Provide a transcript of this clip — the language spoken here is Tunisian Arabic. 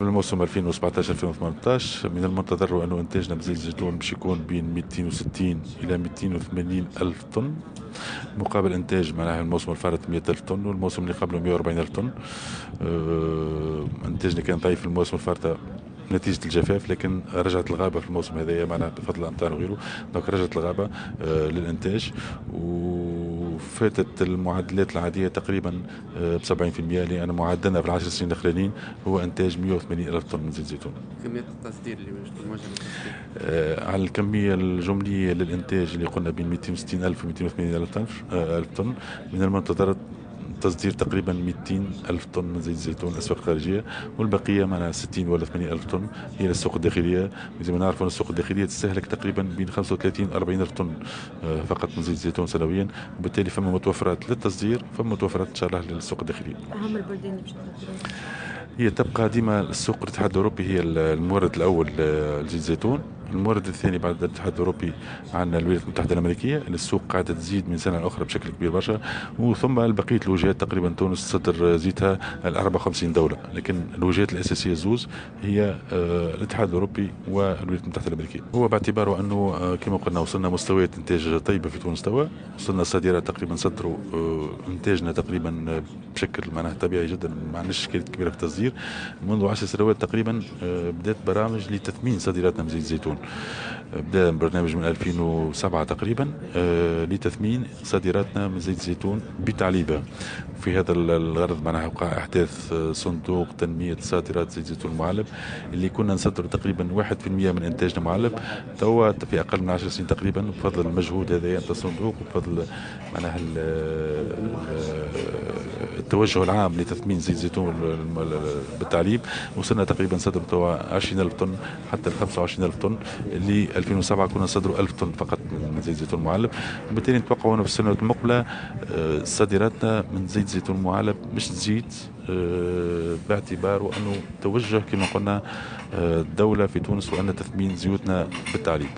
للموسم 2017-2018 من المنتظر أنه إنتاجنا بزيت الزيتون باش يكون بين 260 إلى 280 ألف طن، مقابل إنتاج معناها الموسم الفارط 100 ألف طن والموسم اللي قبله 140 ألف طن. إنتاجنا كان ضعيف في الموسم الفارطة نتيجة الجفاف، لكن رجعت الغابة في الموسم هذايا معناها بفضل الأمطار وغيره، donc رجعت الغابة للإنتاج وفاتت المعدلات العادية تقريبا ب 70%، لأن معدلنا في العشر سنين الأخرانيين هو إنتاج 180 ألف طن من زيت الزيتون. كمية التصدير اللي باش تكون موجهة للتصدير؟ على الكمية الجملية للإنتاج اللي قلنا بين 260 ألف و 280 ألف طن، من المنتظر تصدير تقريبا 200 ألف طن من زيت الزيتون للأسواق الخارجية، والبقية معنا 60 ولا 80 ألف طن هي للسوق الداخلية. زي ما نعرفوا السوق الداخلية تستهلك تقريبا بين 35 و 40 ألف طن فقط من زيت الزيتون سنويا، وبالتالي فما متوفرات للتصدير، فما متوفرات إن شاء الله للسوق الداخلية. أهم البلدان اللي باش تصدروا؟ هي تبقى ديما السوق الاتحاد الأوروبي هي المورد الأول لزيت الزيتون. المورد الثاني بعد الاتحاد الأوروبي عندنا الولايات المتحدة الأمريكية، اللي السوق قاعدة تزيد من سنة لأخرى بشكل كبير برشا، وثم بقية الوجهات تقريبا تونس تصدر زيتها ل 54 دولة، لكن الوجهات الأساسية زوز هي الاتحاد الأوروبي والولايات المتحدة الأمريكية. هو باعتباره أنه كما قلنا وصلنا مستويات إنتاج طيبة في تونس توا، وصلنا صادرات تقريبا صدروا إنتاجنا تقريبا بشكل معناه طبيعي جدا، ما عندناش إشكاليات كبيرة في التصدير. منذ 10 سنوات تقريبا بدأت برامج لتثمين صادراتنا من زيت الزيتون. بدأ برنامج من 2007 تقريبا لتثمين صادراتنا من زيت الزيتون بتعليبها. في هذا الغرض معناها وقع إحداث صندوق تنمية صادرات زيت الزيتون المعلب، اللي كنا نصدر تقريبا 1% من إنتاجنا معلب، توا في أقل من 10 سنين تقريبا بفضل المجهود هذا نتاع الصندوق وبفضل معناها التوجه العام لتثمين زيت الزيتون بالتعليب، وصلنا تقريبا صدر توا 20,000 طن حتى 25,000 طن، اللي 2007 كنا نصدروا 1000 طن فقط من زيت الزيتون المعلب. وبالتالي نتوقعوا انه في السنوات المقبلة صادراتنا من زيت الزيتون المعلب مش تزيد، باعتباره انه توجه كما قلنا الدولة في تونس وان تثمين زيوتنا بالتعليب.